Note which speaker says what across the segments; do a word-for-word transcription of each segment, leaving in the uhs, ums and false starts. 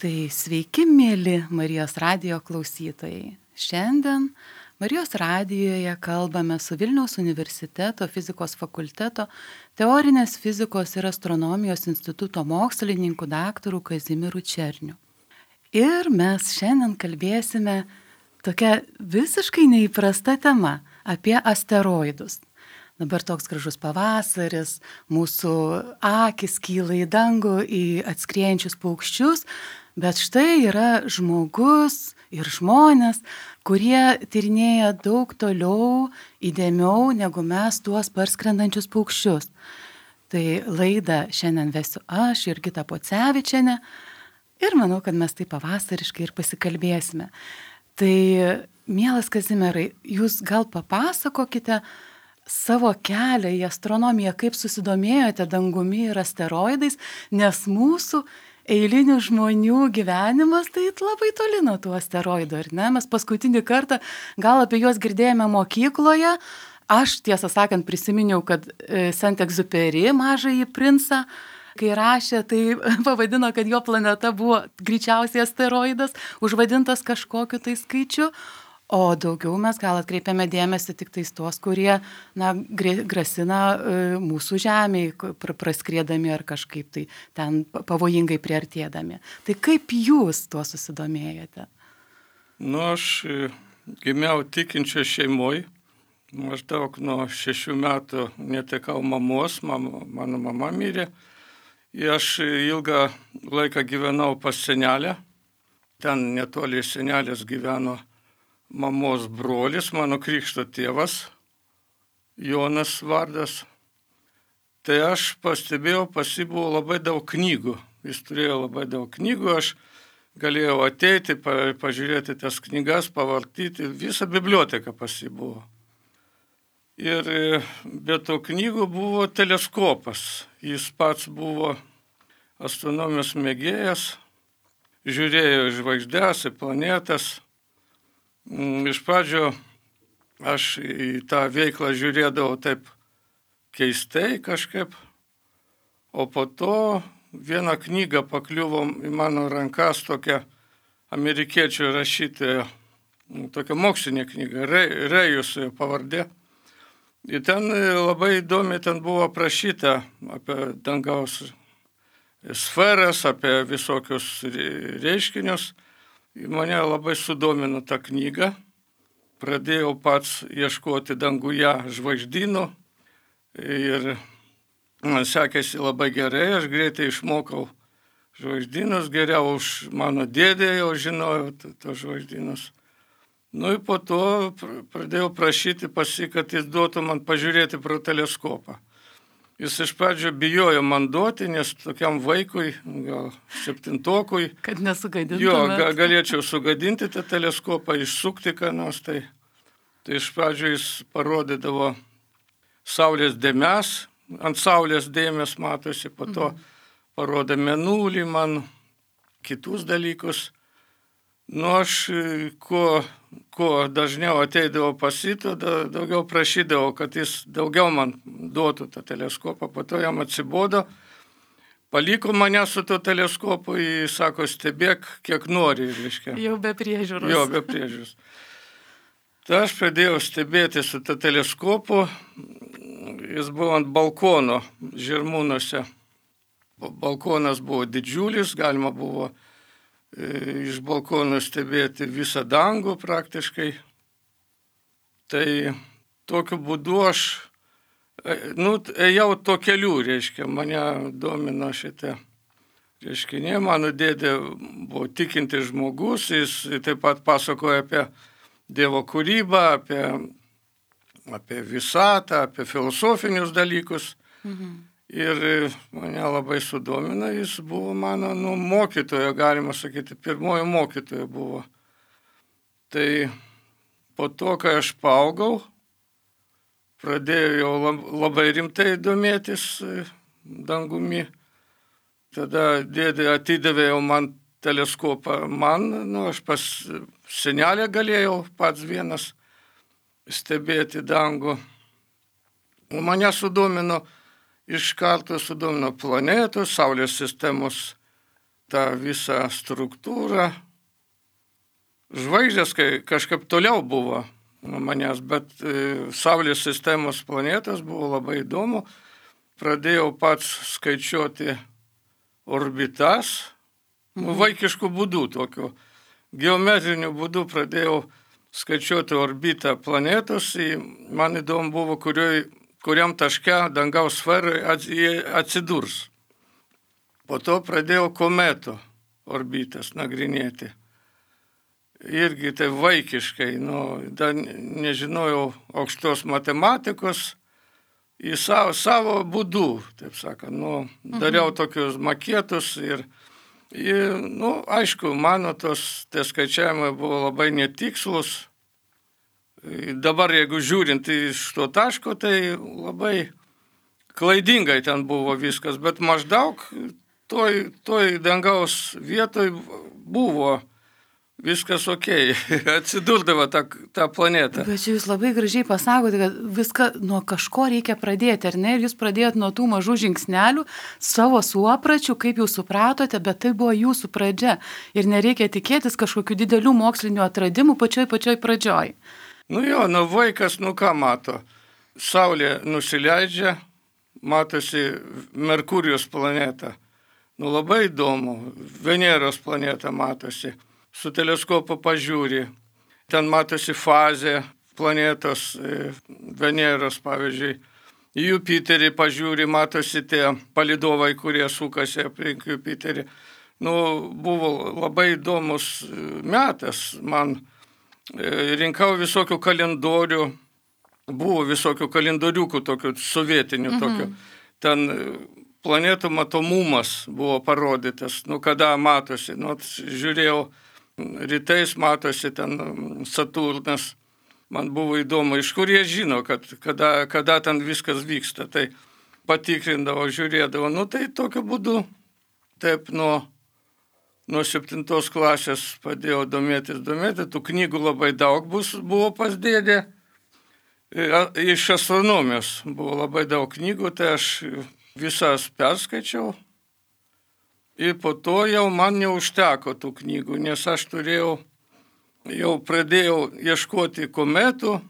Speaker 1: Tai sveiki, mėly Marijos radijo klausytojai. Šiandien Marijos radijoje kalbame su Vilniaus universiteto fizikos fakulteto teorinės fizikos ir astronomijos instituto mokslininku daktaru Kazimieru Černiu. Ir mes šiandien kalbėsime tokia visiškai neįprasta tema apie asteroidus. Dabar toks gražus pavasaris, mūsų akis kyla į dangų, į atskriejančius paukščius, bet štai yra žmogus ir žmonės, kurie tyrinėja daug toliau, įdėmiau negu mes tuos parskrendančius paukščius. Tai laidą šiandien vesiu aš, Jurgita Pocevičienė, ir manau, kad mes taip pavasariškai ir pasikalbėsime. Tai, mielas Kazimierai, jūs gal papasakokite savo kelią į astronomiją, kaip susidomėjote dangumi ir asteroidais, nes mūsų eilinių žmonių gyvenimas tai labai toli nuo tų asteroidų, ar ne? Mes paskutinį kartą gal apie juos girdėjome mokykloje. Aš, tiesą sakant, prisiminiau, kad Saint-Exupéry Mažąjį princą, kai rašė, tai pavadino, kad jo planeta buvo greičiausiai asteroidas, užvadintas kažkokiu tai skaičiu. O daugiau mes gal atkreipiame dėmesį tik tais tuos, kurie na, grasina mūsų žemėj, praskriedami ar kažkaip tai ten pavojingai priartėdami. Tai kaip jūs tuo susidomėjote?
Speaker 2: Nu, aš gimiau tikinčio šeimoj. Maždaug nuo šešių metų netekau mamos, mama, mano mama mirė. Ir aš ilgą laiką gyvenau pas senelę. Ten netoli senelės gyveno mamos brolis, mano krikšto tėvas, Jonas vardas. Tai aš pastebėjau, pas jį buvo labai daug knygų. Jis turėjo labai daug knygų, aš galėjau ateiti, pa, pažiūrėti tas knygas, pavartyti. Visa biblioteka pas jį buvo. Ir be to knygų buvo teleskopas. Jis pats buvo astronomijos mėgėjas, žiūrėjo į žvaigždes, į planetas. Iš pradžio aš į tą veiklą žiūrėdavau taip keistai kažkaip, o po to vieną knygą pakliuvo į mano rankas tokia amerikiečių rašytoja, tokia mokslinė knyga, Rejus pavardė. Ir ten labai įdomi ten buvo aprašyta apie dangaus sferas, apie visokius reiškinius. Mane labai sudomino tą knygą. Pradėjau pats ieškoti danguje žvaigždynų ir man sekėsi labai gerai. Aš greitai išmokau žvaigždynus, geriau už mano dėdę jau žinojau tos žvaigždynus. Nu ir po to pradėjau prašyti pas jį, kad jis duotų man pažiūrėti pro teleskopą. Jis iš pradžio bijojo man duoti, nes tokiam vaikui, gal septintokui,
Speaker 1: kad nesugadintumėt.
Speaker 2: Jo, ga, galėčiau sugadinti tą teleskopą, išsukti ką nors. Tai, tai iš pradžio jis parodydavo saulės dėmes, ant saulės dėmės matosi, po to mhm. parodė mėnulį man, kitus dalykus. Nu aš, kuo, kuo dažniau ateidavau pas jį, daugiau prašydavau, kad jis daugiau man duotų tą teleskopą. Po to jam atsibodo, paliko mane su to teleskopu, jis sako, stebėk, kiek nori. Reiškia.
Speaker 1: Jau be priežiūros.
Speaker 2: Jo, be priežiūros. Tai aš pradėjau stebėti su to teleskopu, jis buvo ant balkono Žirmūnuose. Balkonas buvo didžiulis, galima buvo iš balkono stebėti visą dangų praktiškai. Tai tokiu būdu aš, nu, ėjau to keliu, reiškia, mane domino šitą reiškinį. Mano dėdė buvo tikintis žmogus, jis taip pat pasakoja apie Dievo kūrybą, apie, apie visatą, apie filosofinius dalykus. Mhm. Ir mane labai sudomino, jis buvo mano nu, mokytojo, galima sakyti, pirmojo mokytojo buvo. Tai po to, kai aš paaugau, pradėjau jau labai rimtai domėtis dangumi. Tada dėdė atidavė jau man teleskopą man, nu, aš pas senelę galėjau pats vienas stebėti dangų. Mane sudomino, iš karto sudomino planetų, Saulės sistemos tą visą struktūrą. Žvaigždės kažkaip toliau buvo nuo manęs, bet Saulės sistemos planetos buvo labai įdomu. Pradėjau pats skaičiuoti orbitas, mhm. vaikiškų būdų tokių. Geometriniu būdu pradėjau skaičiuoti orbitą planetos. Man įdomu buvo, kurioj, kuriam taške dangaus sferai atsidurs. Po to pradėjau kometų orbitas nagrinėti. Irgi tai vaikiškai, nu, dar nežinojau aukštos matematikos, į savo, savo būdų, taip sakant, nu, dariau tokius makėtus ir, ir, nu, aišku, mano tos tie skaičiavimai buvo labai netikslus. Dabar, jeigu žiūrint iš to taško, tai labai klaidingai ten buvo viskas, bet maždaug toj, toj dangaus vietoj buvo viskas okei, atsidurdavo tą, tą planetą.
Speaker 1: Bet jūs labai gražiai pasakote, kad viską nuo kažko reikia pradėti, ar ne? Ir jūs pradėjot nuo tų mažų žingsnelių, savo suopračių, kaip jūs supratote, bet tai buvo jūsų pradžia. Ir nereikia tikėtis kažkokių didelių mokslinių atradimų pačioj pačioj pradžioj.
Speaker 2: Nu jo, nu vaikas, nu ką mato? Saulė nusileidžia, matosi Merkurijos planeta. Nu labai įdomu, Veneros planeta matosi. Su teleskopu pažiūri, ten matosi fazė planetos, Veneros pavyzdžiui, į Jupiterį pažiūri, matosi tie palydovai, kurie sukasi aplink Jupiterį. Nu, buvo labai įdomus metas, man rinkau visokių kalendorių, buvo visokių kalendoriukų, tokių sovietinių, mhm. tokių, ten planetų matomumas buvo parodytas, nu kada matosi, nu žiūrėjau, rytais matosi ten Saturnas, man buvo įdomu, iš kur jie žino, kad kada, kada ten viskas vyksta, tai patikrindavo, žiūrėdavo, nu tai tokiu būdu, taip nuo, nuo septintos klasės padėjau domėtis, domėtis, tų knygų labai daug bus, buvo pas dėdė, iš astronomijos buvo labai daug knygų, tai aš visas perskaičiau. Ir po to jau man neužteko tų knygų, nes aš turėjau, jau pradėjau ieškoti kometų,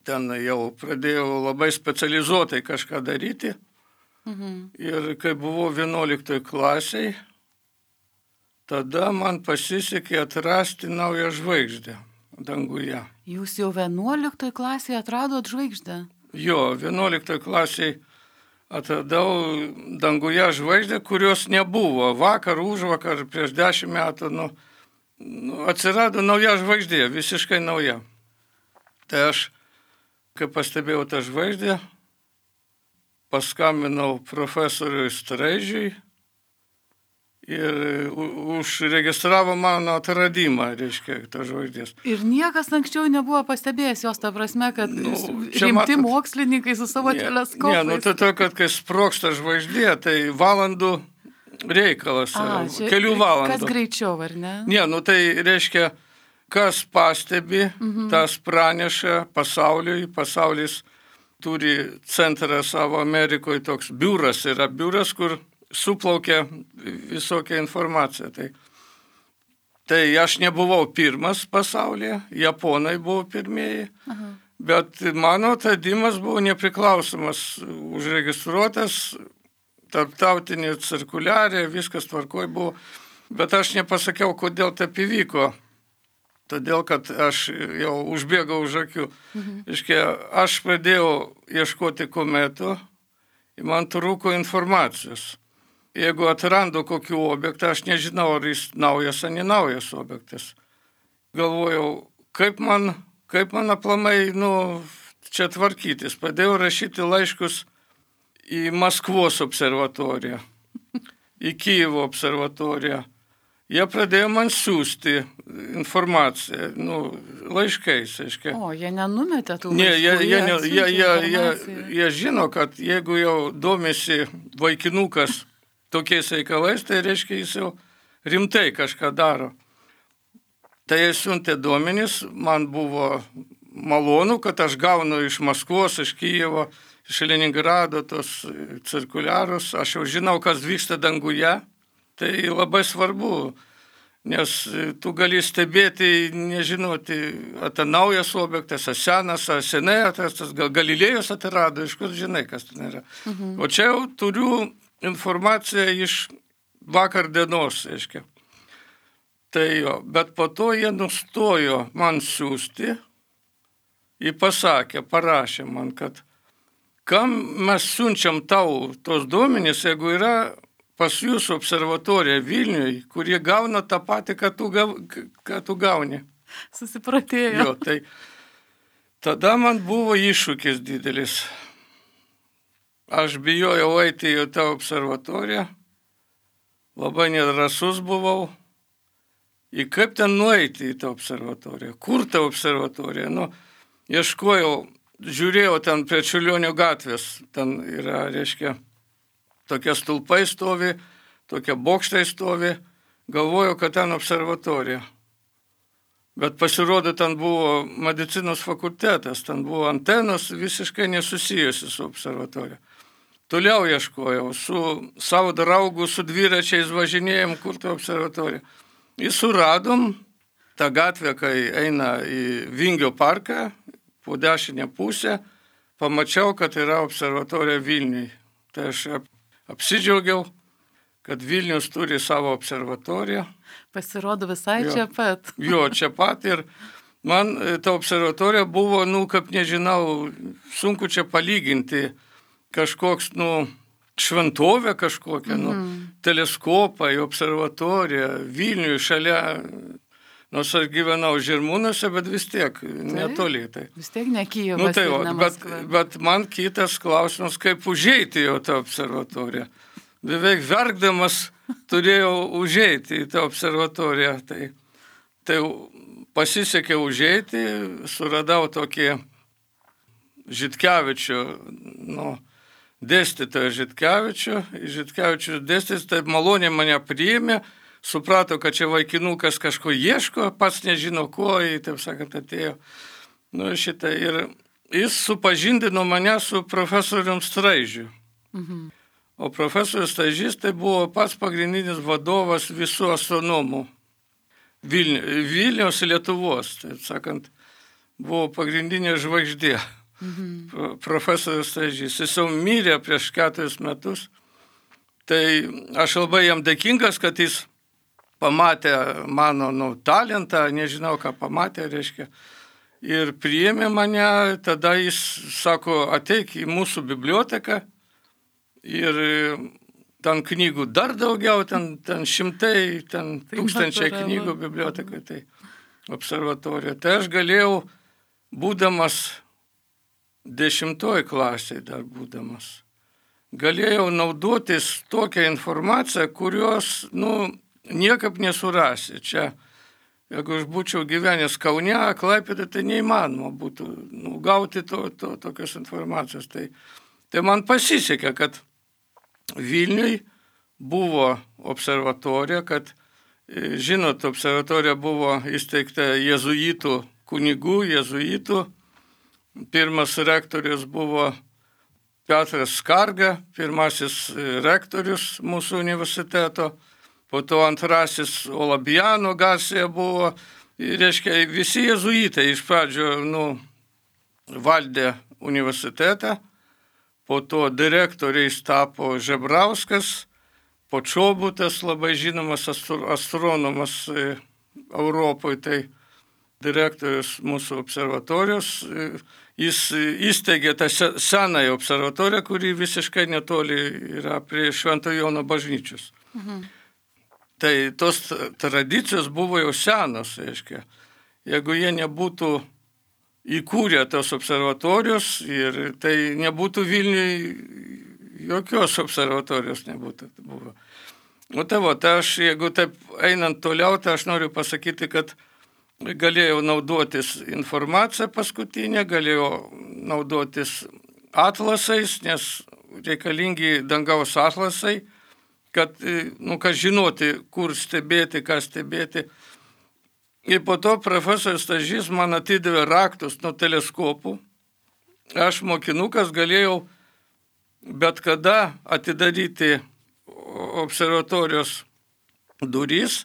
Speaker 2: ten jau pradėjau labai specializuotai kažką daryti. Mhm. Ir kai buvau vienuoliktoj klasiai, tada man pasisekė atrasti naują žvaigždę danguje.
Speaker 1: Jūs jau vienuoliktoj klasėje atradot žvaigždę?
Speaker 2: Jo, vienuoliktoj klasėje atradau danguje žvaigždę, kurios nebuvo. Vakar, užvakar, prieš dešimt metų, nu, nu, atsirado nauja žvaigždė, visiškai nauja. Tai aš, kai pastebėjau tą žvaigždę, paskambinau profesoriui Straižiui ir užregistravo mano atradimą, reiškia, tą žvaigždės.
Speaker 1: Ir niekas anksčiau nebuvo pastebėjęs jos, ta prasme, kad nu, rimti matot, mokslininkai su savo ne, teleskopais.
Speaker 2: Ne, nu tai to, kad kai sprogsta žvaigždė, tai valandų reikalas, A, čia, kelių valandų.
Speaker 1: Kas greičiau, ar ne?
Speaker 2: Ne, nu tai reiškia, kas pastebi, mhm. tas praneša pasauliui, pasaulis turi centrą savo Amerikoje, toks biuras yra biuras, kur suplaukia visokią informaciją. Tai, tai aš nebuvau pirmas pasaulyje, japonai buvo pirmieji, Aha. bet mano atradimas buvo nepriklausomas, užregistruotas, tarptautinė cirkuliarė, viskas tvarkoj buvo, bet aš nepasakiau, kodėl taip įvyko. Todėl, kad aš jau užbėgau už akių. Mhm. Iškia, aš pradėjau ieškoti kometų ir man trūko informacijos. Jeigu atrandu kokių objektą, aš nežinau, ar jis naujas ar nenaujas objektas. Galvojau, kaip man, kaip man aplamai, nu, čia tvarkytis. Padėjau rašyti laiškus į Maskvos observatoriją, į Kijevo observatoriją. Jie pradėjo man siūsti informaciją, nu, laiškais, aiškiai.
Speaker 1: O, jie nenumetė tų laiškų?
Speaker 2: Ne, jie, jie, jie, jie, jie, jie žino, kad jeigu jau domisi vaikinukas tokiais reikalais, tai reiškia, jis jau rimtai kažką daro. Tai jie siuntė duomenis, man buvo malonu, kad aš gaunu iš Maskvos, iš Kijevo, iš Leningrado tos cirkuliarus, aš jau žinau, kas vyksta danguje, Tai labai svarbu, nes tu gali stebėti, nežinoti, ar tai naujas objektas, ar senas, ar senai atrastas, gal Galilėjus atrado, iš kur žinai, kas ten yra. Mhm. O čia jau turiu informaciją iš vakar dienos, reiškia. Tai jo, bet po to jie nustojo man siųsti, jie pasakė, parašė man, kad kam mes siunčiam tau tos duomenys, jeigu yra pas jūsų observatoriją Vilniuje, kurie gauna tą patį, ką tu, gav, ką tu gauni.
Speaker 1: Susipratėjo.
Speaker 2: Jo, tai tada man buvo iššūkis didelis. Aš bijojau eiti į tą observatoriją, labai nedrasus buvau. Ir kaip ten nueiti į tą observatoriją? Kur ta observatorija? Nu, ieškojau, žiūrėjau ten prie Čiurlionio gatvės, ten yra, reiškia, tokie stulpai stovi, tokie bokštai stovi, galvojau, kad ten observatorija. Bet pasirodo, ten buvo medicinos fakultetas, ten buvo antenos visiškai nesusijusi su observatorija. Toliau ieškojau, su savo draugu, su dviračiais važinėjom, kur ta observatorija. Ir suradom tą gatvę, kai eina į Vingio parką, po dešinę pusę, pamačiau, kad yra observatorija Vilniuje. Tai aš apsidžiaugiau, kad Vilnius turi savo observatoriją.
Speaker 1: Pasirodo visai
Speaker 2: jo,
Speaker 1: čia pat.
Speaker 2: Jo, čia pat ir man ta observatorija buvo, nu, kaip nežinau, sunku čia palyginti kažkoks, nu, šventovė kažkokia, mm. nu, teleskopai, observatorija, Vilniuje šalia, nors aš gyvenau Žirmūnuose, bet vis tiek netoli. Tai.
Speaker 1: Vis tiek ne Kijevas,
Speaker 2: nu, tai,
Speaker 1: ir ne
Speaker 2: Maskva. Bet, bet man kitas klausimas, kaip užeiti į tą observatoriją. Beveik verkdamas turėjau užeiti į tą observatoriją. Tai, tai pasisekė užeiti, suradau tokį Žitkevičių, nu, dėstytoją Žitkevičių. Žitkevičius dėstytojas taip maloniai mane priėmė, suprato, kad čia vaikinukas kažko ieško, pats nežino ko, jį, taip sakant, atėjo. Nu, šitą. Ir jis supažindino mane su profesorium Straižiu. Mhm. O profesorius Straižys tai buvo pats pagrindinis vadovas visų astronomų Vilni, Vilniaus ir Lietuvos. Taip sakant, buvo pagrindinė žvaigždė. Mhm. Profesorius Straižys. Jis jau mirė prieš keturis metus. Tai aš labai jam dėkingas, kad jis pamatė mano, nu, talentą, nežinau, ką pamatė, reiškia, ir priėmė mane, tada jis sako, ateik į mūsų biblioteką ir ten knygų dar daugiau, ten, ten šimtai, ten tūkstančiai knygų bibliotekai, tai observatorija. Tai aš galėjau, būdamas dešimtoj klasėje dar būdamas, galėjau naudotis tokią informaciją, kurios, nu, niekaip nesurasi. Čia, jeigu aš būčiau gyvenęs Kaune, Klaipėdoje, tai neįmanoma būtų, nu, gauti to, to, tokios informacijos. Tai, tai man pasisekė, kad Vilniuje buvo observatorija, kad, žinot, observatorija buvo įsteigta jėzuitų kunigų, jėzuitų. Pirmas rektorius buvo Petras Skarga, pirmasis rektorius mūsų universiteto. Po to antrasis Olabiano Garcia buvo, reiškia, visi jėzuitai iš pradžio, nu, valdė universitetą, po to direktoriais tapo Žebrauskas, po Čobutas, labai žinomas astronomas Europoje, tai direktorius mūsų observatorijos, jis įsteigė tą senąją observatoriją, kuri visiškai netoli yra prie Švento Jono bažnyčios. Mhm. Tai tos tradicijos buvo jau senos, reiškia. Jeigu jie nebūtų įkūrę tos observatorijos, ir tai nebūtų Vilniuje jokios observatorijos nebūtų buvo. O tai va, tai aš, jeigu taip einant toliau, tai aš noriu pasakyti, kad galėjau naudotis informaciją paskutinę, galėjau naudotis atlasais, nes reikalingi dangaus atlasai, kad, nu, kad žinoti, kur stebėti, ką stebėti. Ir po to profesorius Straižys man atidavė raktus nuo teleskopų. Aš mokinukas galėjau bet kada atidaryti observatorijos duris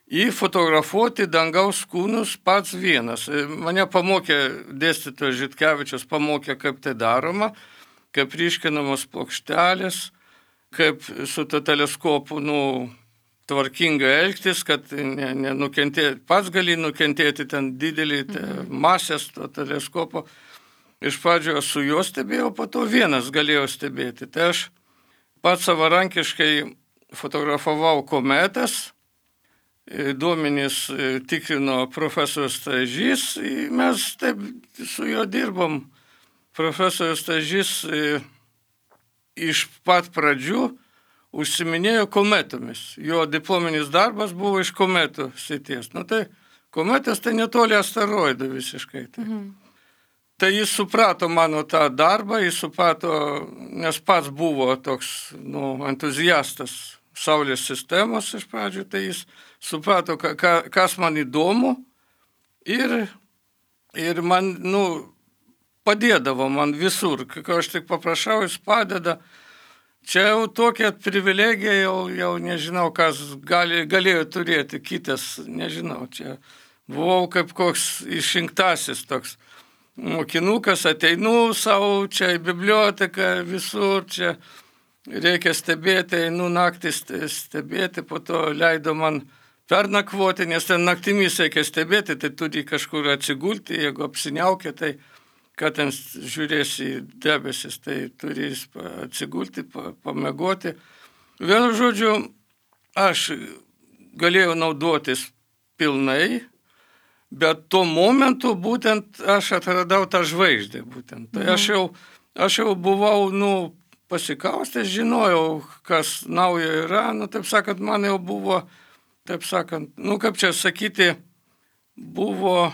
Speaker 2: į fotografuoti dangaus kūnus pats vienas. Mane pamokė, dėstytojas Žitkevičius pamokė, kaip tai daroma, kaip ryškinamos plokštelės, kaip su to teleskopu, nu, tvarkingai elgtis, kad nenukentėti, pats gali nukentėti ten didelį mhm. masės to teleskopo. Iš pradžio su juo stebėjau, po to vienas galėjau stebėti. Tai aš pats savarankiškai fotografavau kometas, duomenys tikrino profesorius Stažys, mes taip su juo dirbom. Profesorius Stažys iš pat pradžių užsiminėjo kometomis. Jo diplominis darbas buvo iš kometų srities. Nu tai kometas tai netoli asteroidų visiškai. Tai. Mhm. Tai jis suprato mano tą darbą, jis suprato, nes pats buvo toks, nu, entuziastas Saulės sistemos iš pradžių, tai jis suprato, ka, ka, kas man įdomu ir, ir man, nu, padėdavo man visur. Kai aš tik paprašau, jis padeda. Čia jau tokia privilegija, jau, jau nežinau, kas gali, galėjo turėti kitas, nežinau, čia buvau kaip koks išrinktasis toks mokinukas, ateinu savo čia į biblioteką, visur čia reikia stebėti, einu naktį stebėti, po to leido man pernakvoti, nes ten naktimis reikia stebėti, tai turi kažkur atsigulti, jeigu apsiniaukia, tai kad ten žiūrėsi į debesis, tai turi atsigulti, pamegoti. Vienu žodžiu, aš galėjau naudotis pilnai, bet tuo momentu būtent aš atradau tą žvaigždę būtent. Tai aš jau, aš jau buvau, nu, pasikaustęs, žinojau, kas naujo yra, nu, taip sakant, man jau buvo, taip sakant, nu, kaip čia sakyti, buvo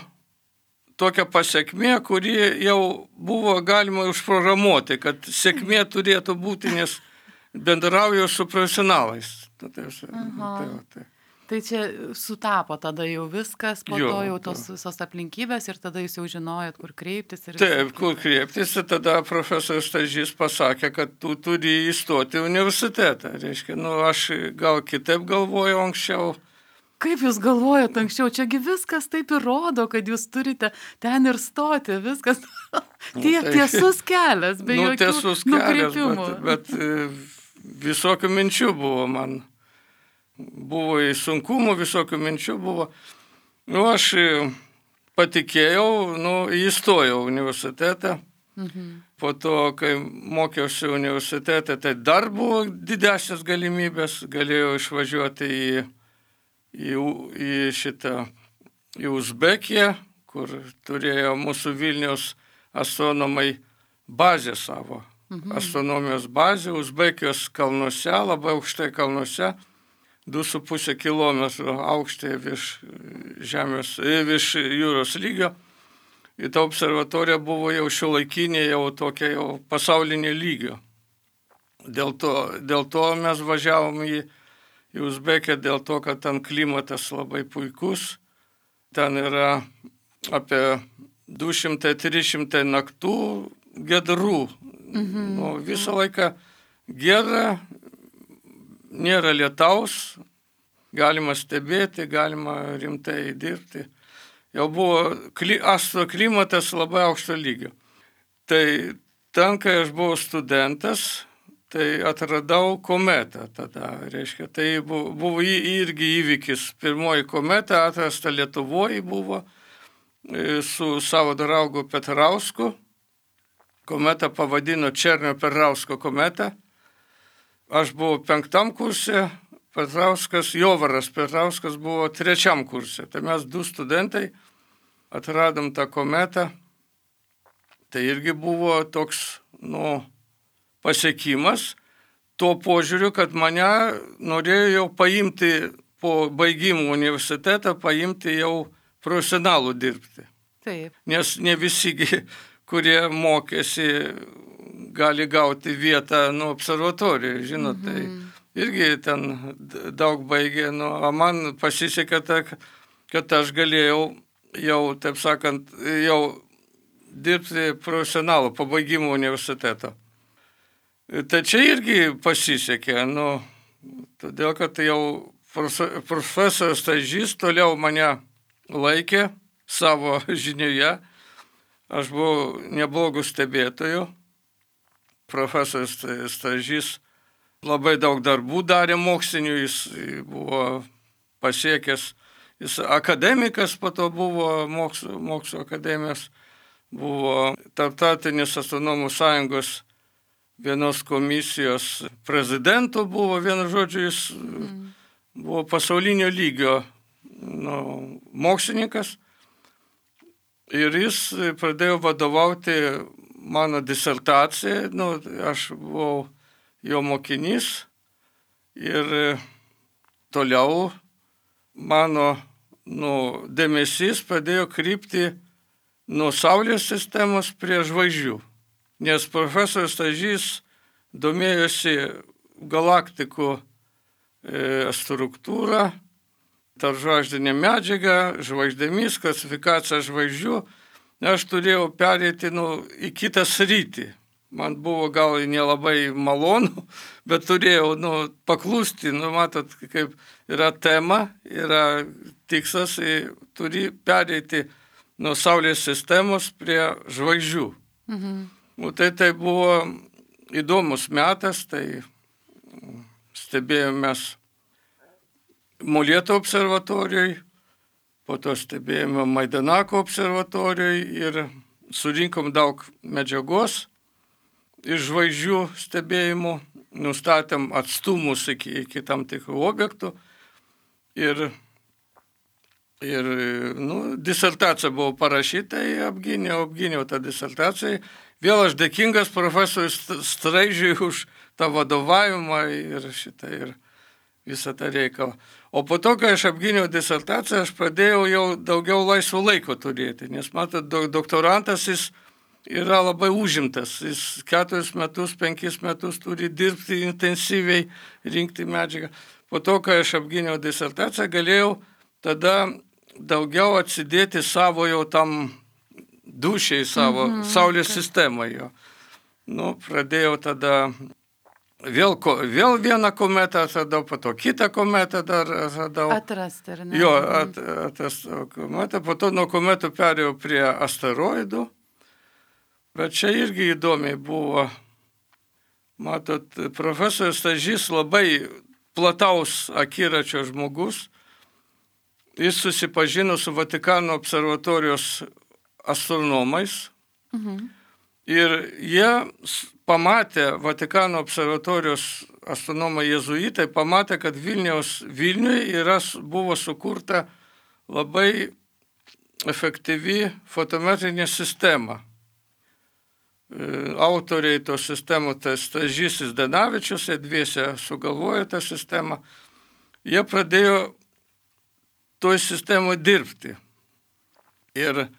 Speaker 2: tokia pasiekmė, kuri jau buvo galima užprogramuoti, kad sėkmė turėtų būti, nes bendrauju su profesionalais. Tai, tai, tai, tai.
Speaker 1: Tai čia sutapo tada jau viskas, po jo, to jau tos visos aplinkybės ir tada jūs jau žinojot, kur kreiptis. Ir
Speaker 2: taip, kur kreiptis, ir tada profesorius Stažys pasakė, kad tu turi įstoti į universitetą. Reiškia, nu, aš gal kitaip galvojau anksčiau.
Speaker 1: Kaip jūs galvojat anksčiau? Čiagi viskas taip ir rodo, kad jūs turite ten ir stoti, viskas tiek nu, tai, tiesus kelias, be nu, jokių nukreipimų.
Speaker 2: Bet, bet visokių minčių buvo man. Buvo į sunkumų, visokių minčių buvo. Nu, aš patikėjau, nu, įstojau universitetą. Mhm. Po to, kai mokiausi universitete, tai dar buvo didesnės galimybės. Galėjau išvažiuoti į, į, į šitą, į Uzbekiją, kur turėjo mūsų Vilniaus astronomai bazę savo. Mhm. Astronomijos bazę, Uzbekijos kalnuose, labai aukštai kalnuose. du su puse kilometrų aukštai virš žemės, virš jūros lygio. Ir ta observatorija buvo jau šiuolaikinė, jau tokia jau pasaulinė lygio. Dėl to, dėl to mes važiavom į, į Uzbekiją, dėl to, kad ten klimatas labai puikus. Ten yra apie du šimtai trys šimtai naktų giedrų. Mhm. Nu, visą laiką giedra. Nėra lietaus, galima stebėti, galima rimtai dirbti. Jau buvo kli, astroklimatas labai aukšto lygio. Tai ten, kai aš buvau studentas, tai atradau kometą tada, reiškia. Tai buvo, buvo irgi įvykis. Pirmoji kometa atrasta Lietuvoje buvo su savo draugu Petrausku. Kometą pavadino Černio-Petrausko kometą. Aš buvau penktam kurse, Petrauskas, Jovaras Petrauskas buvo trečiam kurse. Tai mes du studentai atradom tą kometą. Tai irgi buvo toks, nu, pasiekimas. Tuo požiūriu, kad mane norėjo jau paimti po baigimų universitetą, paimti jau profesionalų dirbti.
Speaker 1: Taip.
Speaker 2: Nes ne visi, kurie mokėsi, gali gauti vietą, nu, observatorijoje, žinot, mhm. Tai irgi ten daug baigė, nu, o man pasisekė, kad aš galėjau jau, taip sakant, jau dirbti profesionalų po baigimo universiteto. Tai čia irgi pasisekė, nu, todėl, kad jau profesorius Stažys toliau mane laikė savo žinioje. Aš buvau neblogų stebėtojų. Profesorius Stažys labai daug darbų darė mokslinių, jis buvo pasiekęs, jis akademikas, po to buvo mokslo, mokslo akademijos, buvo Tarptautinės astronomų sąjungos vienos komisijos prezidentu, buvo, vienu žodžiu, jis mm. buvo pasaulinio lygio nu, mokslininkas. Ir jis pradėjo vadovauti mano disertacijai, nu, aš buvau jo mokinys ir toliau mano nu, dėmesys pradėjo krypti nuo Saulės sistemos prie žvaigždžių, nes profesorius Stažys domėjosi galaktikų e, struktūrą, tarpžvaigždinė medžiaga, žvaigždėmis, klasifikacija žvaigždžių. Aš turėjau pereiti nu, į kitą sritį. Man buvo gal nelabai malonu, bet turėjau nu, paklusti. Nu, matot, kaip yra tema, yra tikslas, turi pereiti nuo Saulės sistemos prie žvaigždžių. Mhm. Nu, tai tai buvo įdomus metas, tai stebėjomės Molėtų observatorijoje, po to stebėjome Maidanako observatorijoje ir surinkom daug medžiagos iš žvaigždžių stebėjimų, nustatėm atstumus iki, iki tam tikrų objektų ir, ir nu, disertacija buvo parašyta, apgyniau, apgyniau tą disertaciją. Vėl aš dėkingas profesoriui Straižiui už tą vadovavimą ir šitą ir visą tą reikalą. O po to, kai aš apgyniau disertaciją, aš pradėjau jau daugiau laisvo laiko turėti, nes matot, doktorantas jis yra labai užimtas, jis keturis metus, penkis metus turi dirbti intensyviai, rinkti medžiagą. Po to, kai aš apgyniau disertaciją, galėjau tada daugiau atsidėti savo jau tam dušiai, savo mhm, Saulės okay. sistemai jo. Nu, pradėjau tada Vėl, vėl vieną kometą atradau, po to kitą kometą dar atradau.
Speaker 1: Atrasti, ar ne?
Speaker 2: Jo, at, atrastau kometą, po to nuo kometų perėjau prie asteroidų. Bet čia irgi įdomiai buvo. Matot, profesorius Stažys labai plataus akiračio žmogus. Jis susipažino su Vatikano observatorijos astronomais. Mhm. Ir jie pamatė, Vatikano observatorijos astronomai jėzuitai pamatė, kad Vilniaus, Vilniuje yra, buvo sukurta labai efektyvi fotometrinė sistema. Autoriai tos sistemos, tai Stažys Zdanavičius, jie dviese sugalvojo tą sistemą. Jie pradėjo toj sistemoje dirbti. Ir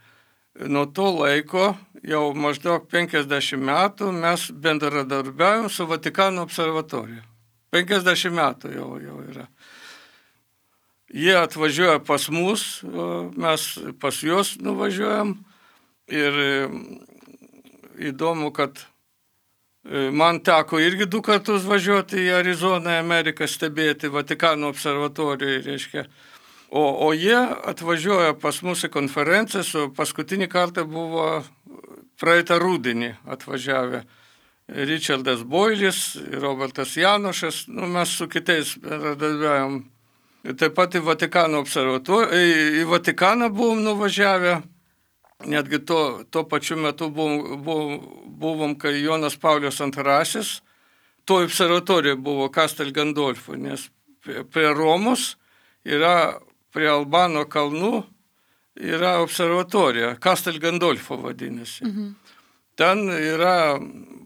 Speaker 2: nuo to laiko, jau maždaug penkiasdešimt metų, mes bendradarbiaujam su Vatikano observatorija. penkiasdešimt metų jau, jau yra. Jie atvažiuoja pas mus, mes pas juos nuvažiuojam. Ir įdomu, kad man teko irgi du kartus važiuoti į Arizoną, Ameriką, stebėti Vatikano observatorijoje, reiškia. O, o jie atvažiuoja pas mus į konferenciją, su paskutinį kartą buvo praeitą rudenį atvažiavę Richardas Boilis, Robertas Janošas, nu, mes su kitais bendradarbiavom. Taip pat į Vatikano observatoriją, į Vatikaną buvom nuvažiavę, netgi to, to pačiu metu buvom, buvom, buvom, kai Jonas Paulius antrasis, to observatorija buvo Castel Gandolfo, nes prie Romos yra prie Albano kalnų yra observatorija, Castel Gandolfo vadinasi. Mhm. Ten yra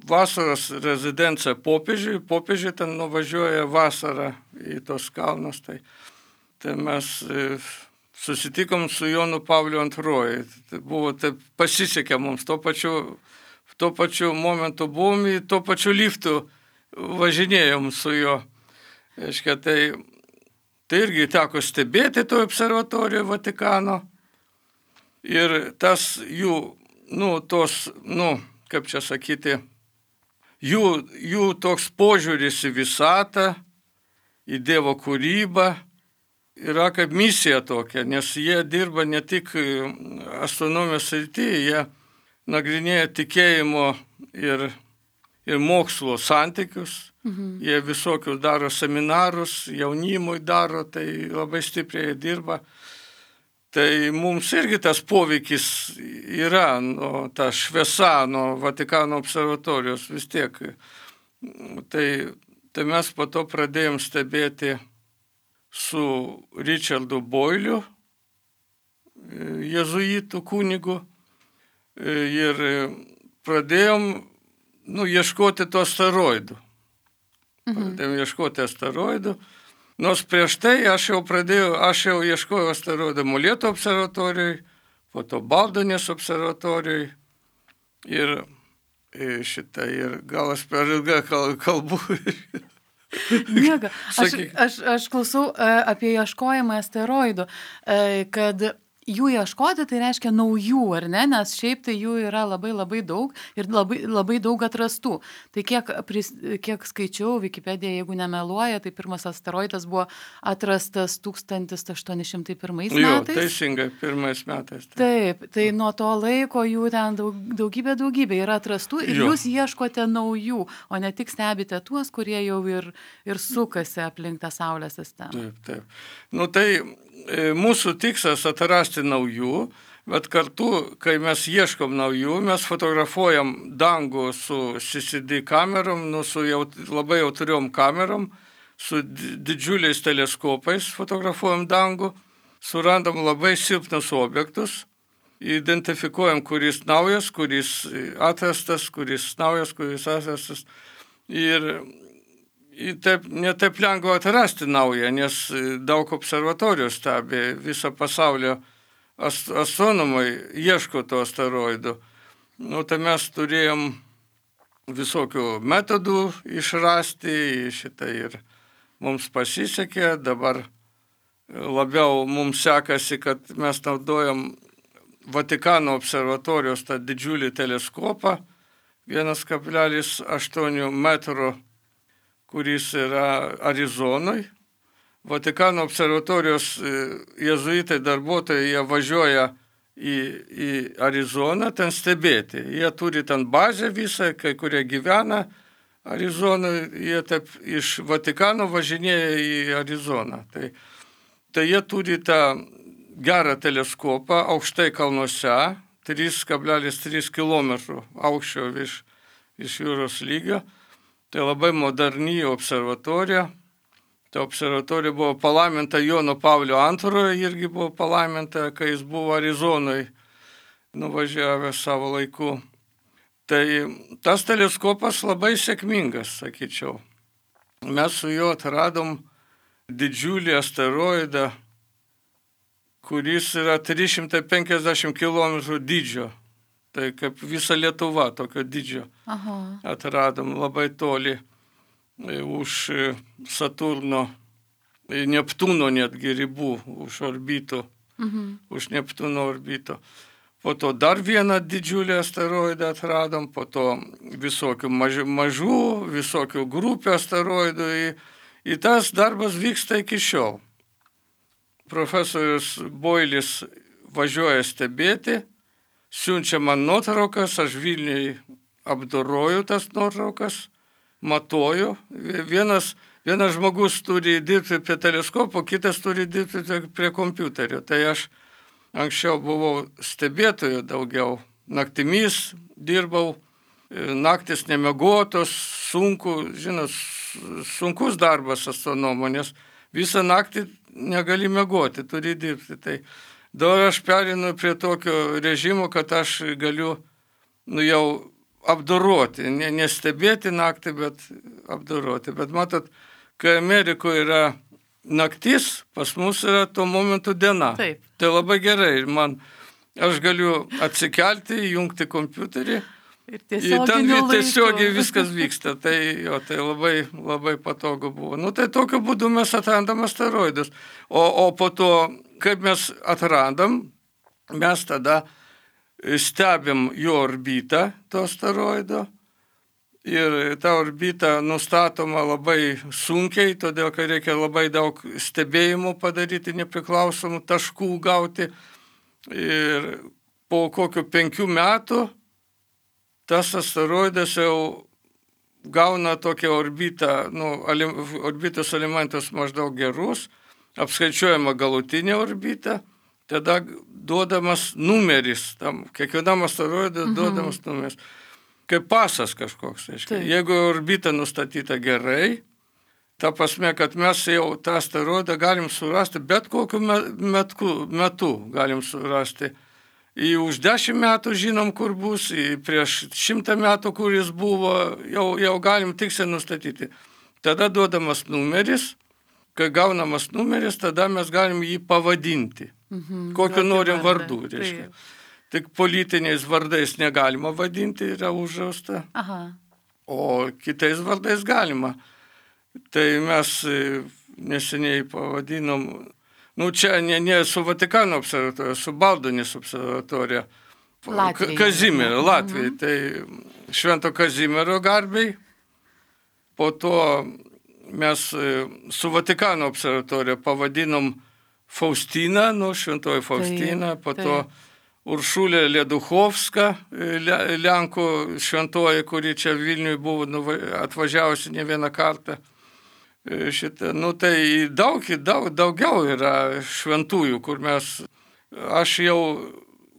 Speaker 2: vasaros rezidencija popiežiui, popiežiui ten nuvažiuoja vasarą į tos kalnus. Tai, tai mes susitikom su Jonu Pavliu antroju. Tai buvo, tai pasisekė mums, tuo pačiu, tuo pačiu momentu buvom, į tuo pačiu liftu važinėjom su juo. Aiškia, tai Tai irgi teko stebėti to observatorijoje Vatikano ir tas jų, nu, tos, nu, kaip čia sakyti, jų, jų toks požiūris į visatą, į Dievo kūrybą, yra kaip misija tokia, nes jie dirba ne tik astronomijos srityje, jie nagrinėja tikėjimo ir, ir mokslo santykius. Mhm. Jie visokius daro seminarus, jaunimui daro, tai labai stipriai dirba. Tai mums irgi tas poveikis yra, nu, ta šviesa nuo Vatikano observatorijos vis tiek. Tai, tai mes po to pradėjom stebėti su Richardu Boyliu, jėzuitų kunigu, ir pradėjom nu, ieškoti tų asteroidų. Mhm. Pradėjom ieškoti asteroidų. Nors prieš tai aš jau pradėjau, aš jau ieškojau asteroidą Molėtų observatorijai, po to Baldonės observatorijai ir šitą, ir gal aš per ilgą kalbu.
Speaker 1: Nieko. Aš, aš, aš klausau apie ieškojimą asteroidų, kad jų ieškoti tai reiškia naujų, ar ne, nes šiaip tai jų yra labai labai daug ir labai, labai daug atrastų. Tai kiek, pris, kiek skaičiau, Wikipedija, jeigu nemeluoja, tai pirmas asteroidas buvo atrastas tūkstantis aštuoni šimtai pirmais metais.
Speaker 2: Jo, teisingai, pirmais metais.
Speaker 1: Taip. taip, tai nuo to laiko jų ten daug, daugybė daugybė yra atrastų ir jo. Jūs ieškote naujų, o ne tik stebite tuos, kurie jau ir, ir sukasi aplink tą Saulės sistemą.
Speaker 2: Taip, taip. Nu tai mūsų tikslas atrasti naujų, bet kartu, kai mes ieškom naujų, mes fotografuojam dangų su C C D kamerom, nu, su jaut, labai jautriom kamerom, su didžiuliais teleskopais fotografuojam dangų, surandam labai silpnus objektus, identifikuojam, kuris naujas, kuris atrastas, kuris naujas, kuris atrastas. Ir Taip, netaip lengva atrasti naują, nes daug observatorijų stebi, visą pasaulio astronomai ieško to asteroidų. Nu, tai mes turėjom visokių metodų išrasti šitą ir mums pasisekė. Dabar labiau mums sekasi, kad mes naudojam Vatikano observatorijos tą didžiulį teleskopą, vienas kablelis aštuoni metro, kuris yra Arizonoj. Vatikano observatorijos jėzuitai darbuotojai, jie važiuoja į, į Arizoną ten stebėti. Jie turi ten bazę visą, kai kurie gyvena Arizonoje, jie taip iš Vatikano važinėja į Arizoną. Tai, tai jie turi tą gerą teleskopą aukštai kalnuose, trys kablelis trys kilometrų aukščio virš, iš jūros lygio. Tai labai moderni observatorija. Ta observatorija buvo palaiminta Jono Paulio antrojo, irgi buvo palaiminta, kai jis buvo Arizonoj nuvažiavęs savo laiku. Tai tas teleskopas labai sėkmingas, sakyčiau. Mes su juo atradom didžiulį asteroidą, kuris yra trys šimtai penkiasdešimt kilometrų dydžio. Tai kaip visa Lietuva tokio dydžio. Aha. Atradom labai toli už Saturno, Neptūno netgi ribų, už orbito, mhm. už Neptūno orbito. Po to dar vieną didžiulį asteroidą atradom, po to visokių mažų, mažų visokių grupių asteroidų. Ir tas darbas vyksta iki šiol. Profesorius Boilis važiuoja stebėti, siunčia man nuotraukas, aš Vilniui apdoroju tas nuotraukas, matuoju. Vienas, vienas žmogus turi dirbti prie teleskopo, kitas turi dirbti prie kompiuterio. Tai aš anksčiau buvau stebėtoju daugiau. Naktimis dirbau, naktis nemiegotos, sunku, žinot, sunkus darbas astronomo, nes visą naktį negali miegoti, turi dirbti. Tai dabar aš perinu prie tokio režimo, kad aš galiu nu, jau apdoroti, ne, nestebėti naktį, bet apdoroti. Bet matot, kai Amerikoje yra naktis, pas mus yra tuo momentu diena.
Speaker 1: Taip.
Speaker 2: Tai labai gerai. Man, aš galiu atsikelti, jungti kompiuterį.
Speaker 1: Ir tiesiogiai
Speaker 2: tiesiog viskas vyksta. Tai, jo, tai labai, labai patogu buvo. Nu, tai tokiu būdu mes atrandam asteroidus. O, o po to, kaip mes atrandam, mes tada stebim jo orbitą, to asteroido, Ir ta orbita nustatoma labai sunkiai, todėl kad reikia labai daug stebėjimų padaryti, nepriklausomų taškų gauti. Ir po kokių penkių metų tas asteroidas jau gauna tokią orbitą, nu, orbitos elementus maždaug gerus, apskaičiuojama galutinė orbita, tada duodamas numeris, tam kiekvienam asteroidui mhm. duodamas numeris. Kaip pasas kažkoks. Aiškia. Jeigu orbita nustatyta gerai, ta prasme, kad mes jau tą asteroidą galim surasti, bet kokiu metu, metu galim surasti. Į už dešimt metų žinom, kur bus, į prieš šimtą metų, kur jis buvo, jau, jau galim tiksliai nustatyti. Tada duodamas numeris, kai gaunamas numeris, tada mes galim jį pavadinti. Mhm, kokiu norim vardu, reiškia. Tik politiniais vardais negalima vadinti, yra uždrausta, o kitais vardais galima. Tai mes neseniai pavadinom, nu čia ne, ne su Vatikano observatorija, su Baldunis observatorija, Kazimiero, Latvijai, mhm. tai Švento Kazimiero garbei. Po to mes su Vatikano observatorija pavadinom Faustiną, nu Šventoji Faustina, tai, po to tai. Uršulė Leduchovska, Lenkų šventoji, kuri čia Vilniui buvo atvažiavusi ne vieną kartą. Šitą, nu tai daug, daug, daugiau yra šventųjų, kur mes, aš jau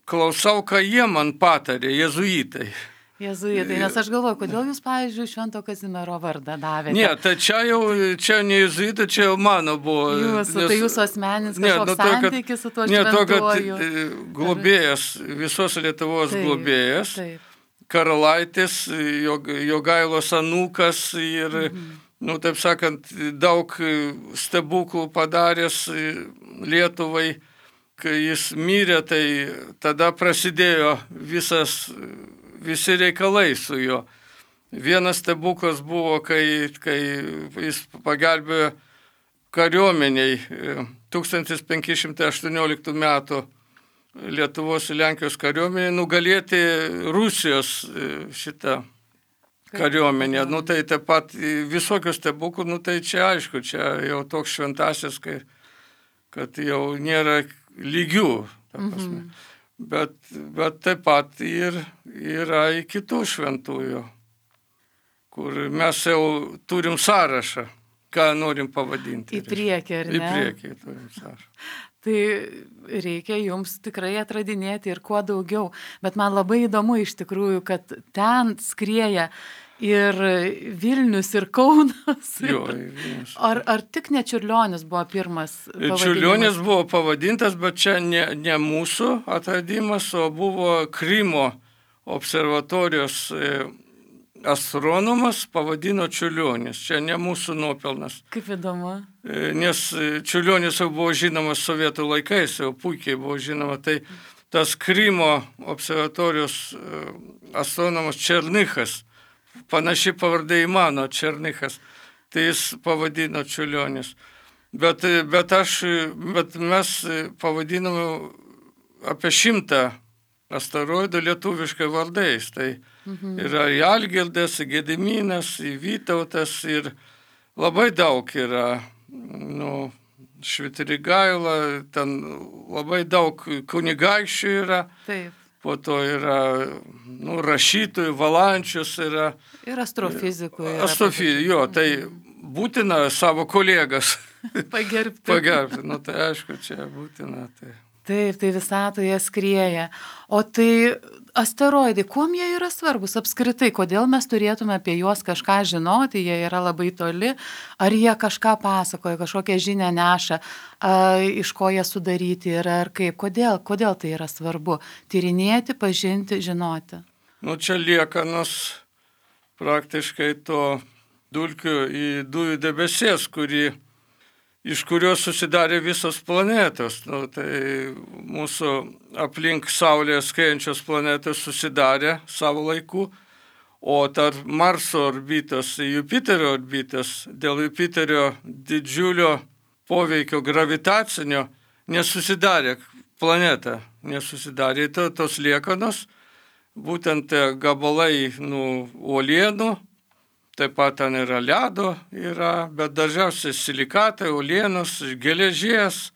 Speaker 2: klausau, ką jie man patarė, jezuitai.
Speaker 1: Jezuitai, nes aš galvoju, kodėl jūs, pavyzdžiui, Švento Kazimiero vardą davėte?
Speaker 2: Ne, tai čia jau, čia ne jezuitai, čia jau mano buvo.
Speaker 1: Jūsų, nes, tai jūsų asmeninis kažkoks ne, nu, santykis su tuo šventuoju.
Speaker 2: Ne, to, kad globėjas, visos Lietuvos taip, globėjas, taip. Karalaitis, Jogailos anūkas ir, mhm. nu, taip sakant, daug stebuklų padaręs Lietuvai. Kai jis mirė, tai tada prasidėjo visas visi reikalai su juo. Vienas stebuklas buvo, kai, kai jis pagelbėjo kariuomeniai tūkstantis penki šimtai aštuonioliktų metų Lietuvos ir Lenkijos kariuomeniai nugalėti Rusijos šitą kariuomenę. Nu tai taip pat visokius stebuklų, nu tai čia aišku, čia jau toks šventasis, kai, kad jau nėra lygių, ta prasme. Mhm. Bet, bet taip pat ir yra į kitų šventųjų, kur mes jau turim sąrašą, ką norim pavadinti.
Speaker 1: Į priekį, ar ne?
Speaker 2: Į priekį turim sąrašą.
Speaker 1: Tai reikia jums tikrai atradinėti ir kuo daugiau. Bet man labai įdomu iš tikrųjų, kad ten skrieja ir Vilnius, ir Kaunas.
Speaker 2: Jo, Vilnius.
Speaker 1: Ar, ar tik ne Čiurlionis buvo pirmas pavadinimas?
Speaker 2: Čiurlionis buvo pavadintas, bet čia ne, ne mūsų atradimas, o buvo Krymo observatorijos astronomas pavadino Čiurlionis. Čia ne mūsų nuopelnas.
Speaker 1: Kaip įdomu.
Speaker 2: Nes Čiurlionis jau buvo žinomas sovietų laikais, jau puikiai buvo žinoma. Tai tas Krymo observatorijos astronomas Černychas, panaši pavardė į mano Černychas, tai jis pavadino Čiurlionis. Bet, bet, aš, bet mes pavadinome apie šimtą asteroidų lietuviškai vardais. Tai mhm. yra į Algirdas, į Gediminas, į Vytautas ir labai daug yra, nu, Švitrigaila, ten labai daug kunigaikščių yra.
Speaker 1: Taip.
Speaker 2: Po to yra, nu, rašytojų, Valančius yra.
Speaker 1: Ir astrofizikų.
Speaker 2: Astrofizikų, jo, tai būtina savo kolegas
Speaker 1: pagerbti.
Speaker 2: Pagerbti, nu tai aišku, čia būtina. Tai.
Speaker 1: Taip, tai visatoje skrieja. O tai asteroidai, kuom jie yra svarbus apskritai? Kodėl mes turėtume apie juos kažką žinoti? Jie yra labai toli. Ar jie kažką pasakoja, kažkokią žinią neša, a, iš ko jie sudaryti yra, ar kaip? Kodėl? Kodėl tai yra svarbu? Tyrinėti, pažinti, žinoti.
Speaker 2: Nu, čia liekanos praktiškai to dulkių į dujų debesies, kuri iš kurios susidarė visos planetos. Nu, tai mūsų aplink Saulėje skriejančios planetos susidarė savo laiku, o tarp Marso orbitos ir Jupiterio orbitos dėl Jupiterio didžiulio poveikio gravitacinio nesusidarė planeta, nesusidarė to, tos liekanos, būtent gabalai nu, uolienų, taip pat ten yra ledo, yra, bet dažniausiai silikatai, uolienos, geležies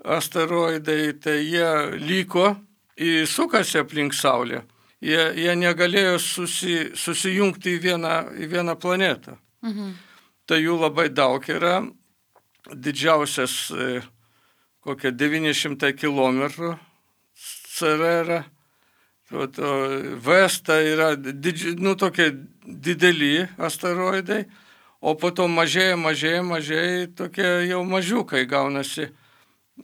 Speaker 2: asteroidai, tai jie liko, sukasi aplink Saulę. Jie, jie negalėjo susi, susijungti į vieną, į vieną planetą. Mhm. Tai jų labai daug yra. Didžiausias kokie devyni šimtai kilometrų C R R. Vesta yra didži, nu, tokie dideli asteroidai, o po to mažėja, mažėja, mažėja, tokie jau mažiukai gaunasi.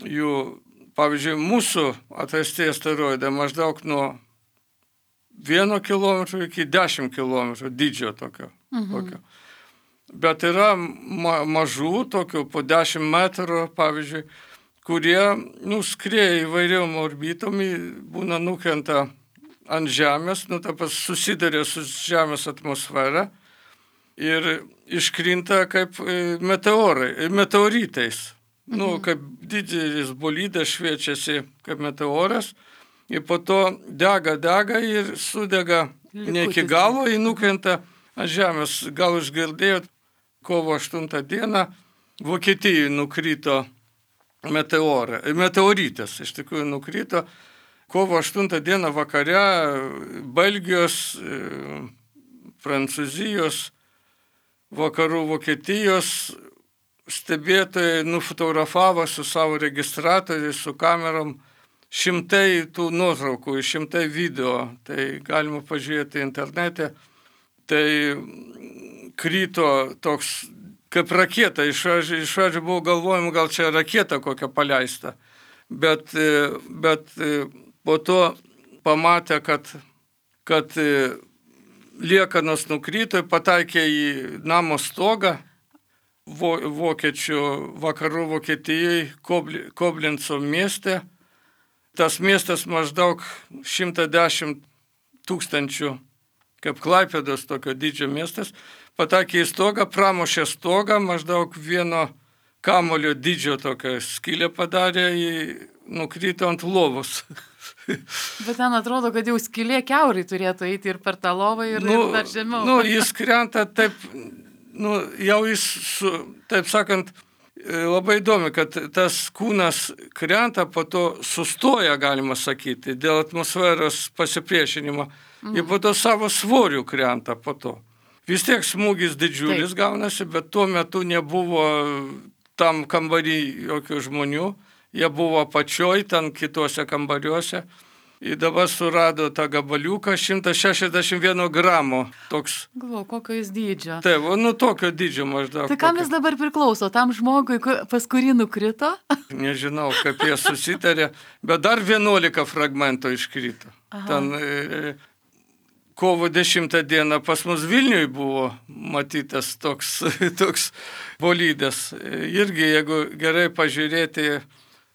Speaker 2: Jų, pavyzdžiui, mūsų atrasti asteroidai maždaug nuo vieno kilometro iki dešimt kilometrų dydžio tokio. Mhm. tokio. Bet yra ma mažų, tokių po dešimt metrų, pavyzdžiui, kurie nuskrieja įvairiom orbitom, būna nukrenta ant Žemės, nu, tapas susidarė su Žemės atmosfera ir iškrinta kaip meteorai, meteoritais. Mhm. Nu, kaip didelis bolidas šviečiasi kaip meteoras. Ir po to dega, dega ir sudega Likutis. Ne iki galo, jį nukrenta ant Žemės. Gal išgirdėjot, kovo aštuntą dieną Vokietijai nukrito meteorą, meteoritas, iš tikrųjų nukrito. Kovo aštuntą dieną vakare Belgijos, Prancūzijos, vakarų Vokietijos stebėtojai nufotografavo su savo registratoriais, su kamerom šimtai tų nuotraukų, šimtai video, tai galima pažiūrėti internete. Tai krito toks kaip raketa, iš pradžių buvo galvojama, gal čia raketa kokia paleista, bet, bet po to pamatė, kad, kad liekanos nukrito, pataikė į namo stogą vokiečių vakarų Vokietijai, Koblenco mieste. Tas miestas maždaug šimtas dešimt tūkstančių, kaip Klaipėdos tokio dydžio miestas, patakė į stogą, pramušė stogą, maždaug vieno kamulio dydžio tokią skylę padarė, nukrito ant lovos.
Speaker 1: Bet ten atrodo, kad jau skylė kiaurai turėtų eiti ir per tą lovą ir, nu, ir dar žemiau.
Speaker 2: Nu, jis krenta taip, nu, jau jis, su, taip sakant, labai įdomi, kad tas kūnas krenta, po to sustoja, galima sakyti, dėl atmosferos pasipriešinimo. Mm. Ir po to savo svorių krenta po to. Vis tiek smūgis didžiulis Taip. gaunasi, bet tuo metu nebuvo tam kambarį jokių žmonių. Jie buvo apačioj, ten kitose kambariuose. Ir dabar surado tą gabaliuką šimtas šešiasdešimt vieno gramo. Toks.
Speaker 1: Galvoju, kokio jis dydžio.
Speaker 2: Taip, nu tokio dydžio maždaug.
Speaker 1: Tai kam jis dabar priklauso? Tam žmogui, pas kurį nukrito?
Speaker 2: Nežinau, kaip jie susitarė, bet dar vienuolika fragmentų iškrito. Aha. Ten e, kovo dešimtą dieną pas mus Vilniui buvo matytas toks, toks bolidas. Irgi, jeigu gerai pažiūrėti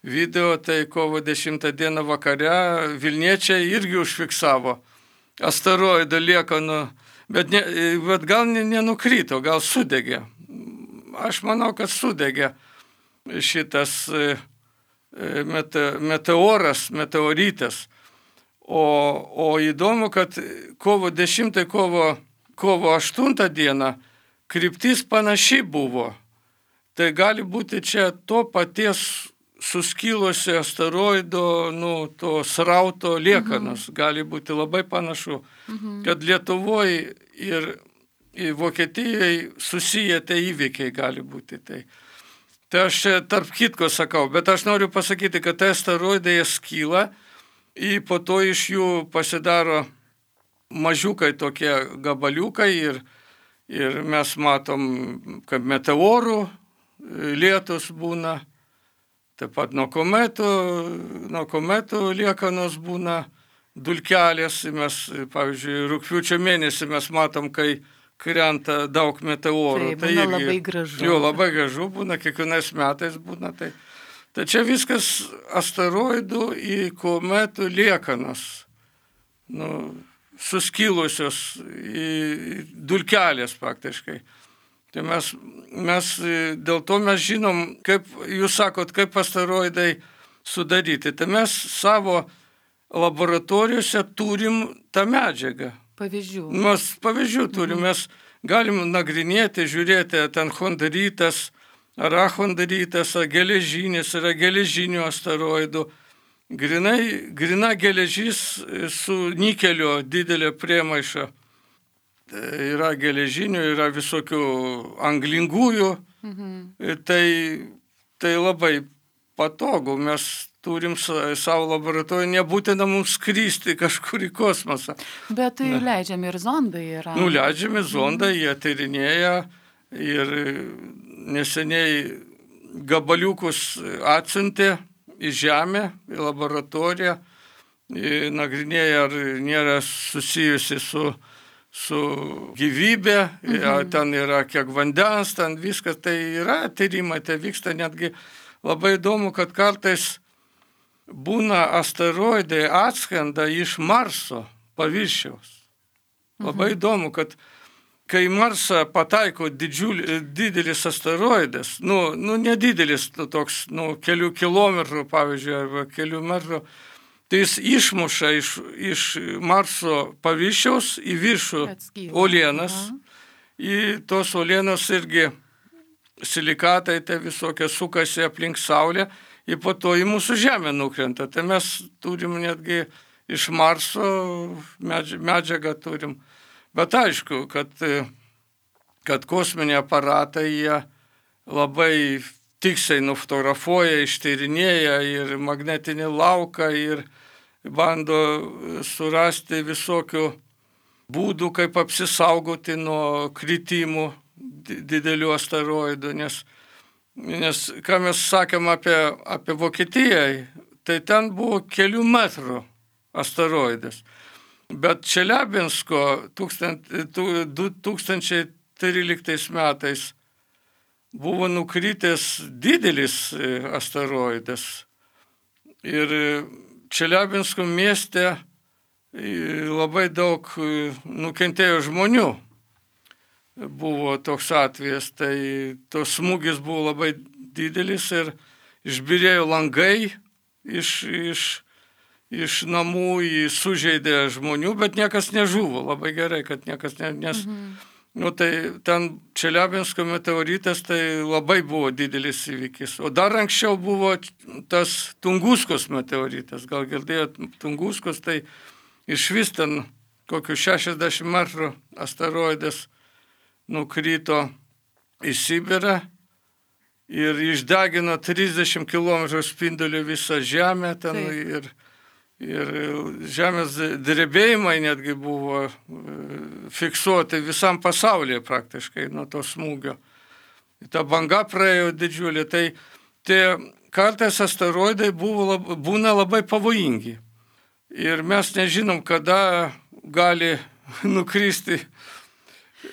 Speaker 2: video, tai kovo dešimtą dieną vakare Vilniečiai irgi užfiksavo asteroidų liekanų, bet, ne, bet gal nenukrito, gal sudegė. Aš manau, kad sudegė šitas mete, meteoras, meteoritas. O, o įdomu, kad kovo dešimtą, kovo, kovo aštuntą dieną kryptis panaši buvo. Tai gali būti čia to paties suskilusio asteroido, nu, to srauto liekanos. Mhm. Gali būti labai panašu, mhm. kad Lietuvoje ir, ir Vokietijoje susiję tie įvykiai gali būti. Tai, tai aš čia tarp kitko sakau, bet aš noriu pasakyti, kad tai asteroidai skyla, ir po to iš jų pasidaro mažiukai tokie gabaliukai ir, ir mes matom, kaip meteorų lietus būna. Taip pat nuo kometų, nuo kometų liekanos būna dulkelės. Mes, pavyzdžiui, rugpjūčio mėnesį mes matom, kai krenta daug meteorų.
Speaker 1: Tai, tai būna irgi, labai gražu.
Speaker 2: Jo, labai gražu būna, kiekvienais metais būna. Tai, tai čia viskas asteroidų į kometų liekanos. Nu, suskilusios į dulkelės praktiškai. Tai mes, mes, dėl to mes žinom, kaip jūs sakot, kaip asteroidai sudaryti. Tai mes savo laboratorijose turim tą medžiagą.
Speaker 1: Pavyzdžių.
Speaker 2: Mes pavyzdžių turim, mes galim nagrinėti, žiūrėti, ten chondritas, ar achondritas, ar geležinis, ar geležinių asteroidų. Grinai, grina geležis su nikelio didelė priemaiša. Yra geležinių, yra visokių anglingųjų. Mhm. Tai, tai labai patogu. Mes turim savo laboratoriją, nebūtina mums skristi kažkur į kosmosą.
Speaker 1: Bet tai leidžiami ir zondai yra.
Speaker 2: Nu, leidžiami zondai, jie tyrinėja ir neseniai gabaliukus atsiuntė į Žemę, į laboratoriją, nagrinėja, ar nėra susijusi su, su gyvybė, mhm. ten yra kiek vandens, ten viskas, tai yra tyrimai, tai vyksta netgi labai įdomu, kad kartais būna asteroidai atskrenda iš Marso paviršiaus. Labai mhm. įdomu, kad kai Marsą pataiko didžiulį, didelis asteroidas, nu, nu nedidelis, nu, toks, nu, kelių kilometrų, pavyzdžiui, arba kelių metrų, tai jis išmuša iš, iš Marso paviršiaus į viršų uolienas. Į tos uolienos irgi silikatai, tai visokie sukasi aplink Saulę, ir po to į mūsų Žemę nukrenta. Tai mes turim netgi iš Marso medžiagą turim. Bet aišku, kad, kad kosminiai aparatai jie labai tiksliai nufotografuoja, ištyrinėja ir magnetinį lauką ir bando surasti visokių būdų, kaip apsisaugoti nuo kritimų didelių asteroidų. Nes, nes ką mes sakėm apie, apie Vokietiją, tai ten buvo kelių metrų asteroidas. Bet Čeliabinsko du tūkstančiai tryliktais metais buvo nukritęs didelis asteroidas. Ir Čeliabinsko mieste labai daug nukentėjo žmonių. Buvo toks atvejas, tai tos smūgis buvo labai didelis ir išbyrėjo langai iš... iš iš namų, jį sužeidė žmonių, bet niekas nežuvo. Labai gerai, kad niekas ne... Nes, mhm. nu, tai ten Čeliabinsko meteoritas, tai labai buvo didelis įvykis. O dar anksčiau buvo tas Tunguskos meteoritas. Gal girdėjot, Tunguskos, tai iš vis ten kokių šešiasdešimt metrų asteroidas nukrito į Sibirą ir išdegino trisdešimt kilometrų spindulių visą Žemę ten. Taip. ir Ir žemės drebėjimai netgi buvo fiksuoti visam pasaulyje praktiškai nuo to smūgio. Ta banga praėjo didžiulė, tai tie kartais asteroidai buvo, būna labai pavojingi. Ir mes nežinom, kada gali nukristi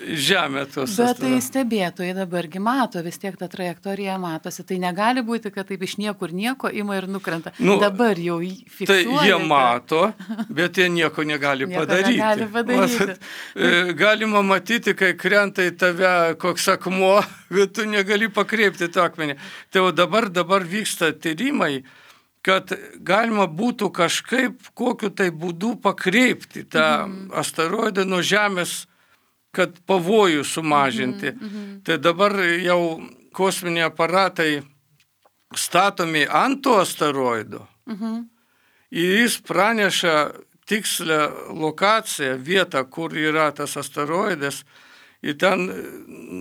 Speaker 2: Žemė tos.
Speaker 1: Bet tai stebėtojai dabargi mato, vis tiek ta trajektorija matosi. Tai negali būti, kad taip iš niekur nieko ima ir nukrenta. Nu, dabar jau fiksuoja.
Speaker 2: Tai jie mato, bet jie nieko negali nieko padaryti.
Speaker 1: Negali padaryti.
Speaker 2: Matot, galima matyti, kai krenta į tave koks akmuo, bet tu negali pakreipti tą akmenį. Tai jau dabar, dabar vyksta tyrimai, kad galima būtų kažkaip kokiu tai būdu pakreipti tą mm. asteroidą nuo Žemės, kad pavojų sumažinti. Mm-hmm, mm-hmm. Tai dabar jau kosminiai aparatai statomi ant to asteroido. Mm-hmm. Ir jis praneša tikslę lokaciją, vietą, kur yra tas asteroidas. Ir ten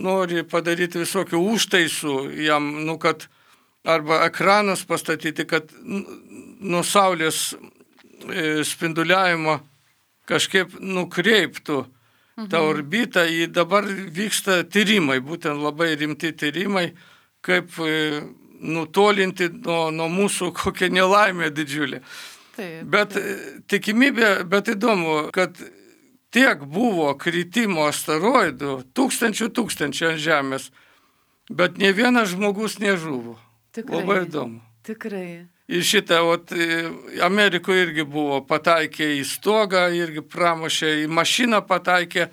Speaker 2: nori padaryti visokių užtaisų jam, nu, kad arba ekranus pastatyti, kad nuo Saulės spinduliavimo kažkaip nukreiptų tą orbitą. Į dabar vyksta tyrimai, būtent labai rimti tyrimai, kaip nutolinti nuo, nuo mūsų kokią nelaimę didžiulį. Taip, bet taip. Tikimybė, bet įdomu, kad tiek buvo kritimo asteroidų, tūkstančių tūkstančių ant Žemės, bet ne vienas žmogus nežuvo. Tikrai. Labai įdomu.
Speaker 1: Tikrai.
Speaker 2: Ir šitą, ot, Amerikoje irgi buvo, pataikė į stogą, irgi pramušė, į mašiną pataikė,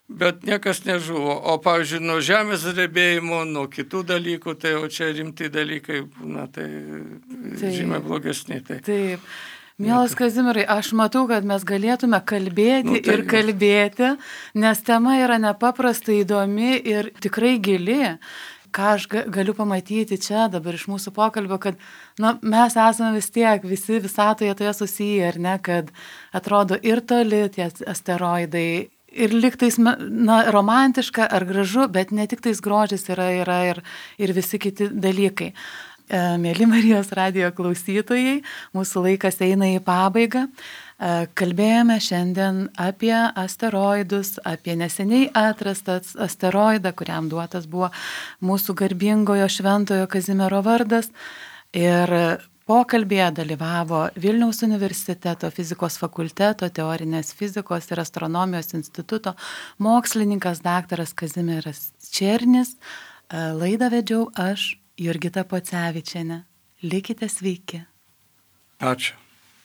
Speaker 2: bet niekas nežuvo. O, pavyzdžiui, nuo žemės drebėjimo, nuo kitų dalykų, tai jau čia rimti dalykai, na, tai Taip. žymiai blogesni. Tai.
Speaker 1: Taip. Mielas Kazimierai, aš matau, kad mes galėtume kalbėti nu, tai ir kalbėti, nes tema yra nepaprastai įdomi ir tikrai gili. Ką aš galiu pamatyti čia dabar iš mūsų pokalbio, kad nu, mes esame vis tiek visi visatoje toje susiję, ar ne, kad atrodo ir toli tie asteroidai, ir liktais na, romantiška ar gražu, bet ne tik tais grožis yra, yra ir, ir visi kiti dalykai. Mėly Marijos radijo klausytojai, mūsų laikas eina į pabaigą. Kalbėjome šiandien apie asteroidus, apie neseniai atrastą asteroidą, kuriam duotas buvo mūsų garbingojo šventojo Kazimiero vardas. Ir pokalbėje dalyvavo Vilniaus universiteto fizikos fakulteto teorinės fizikos ir astronomijos instituto mokslininkas daktaras Kazimieras Černis. Laidą vedžiau aš, Jurgita Pocevičienė. Likite sveiki.
Speaker 2: Ačiū.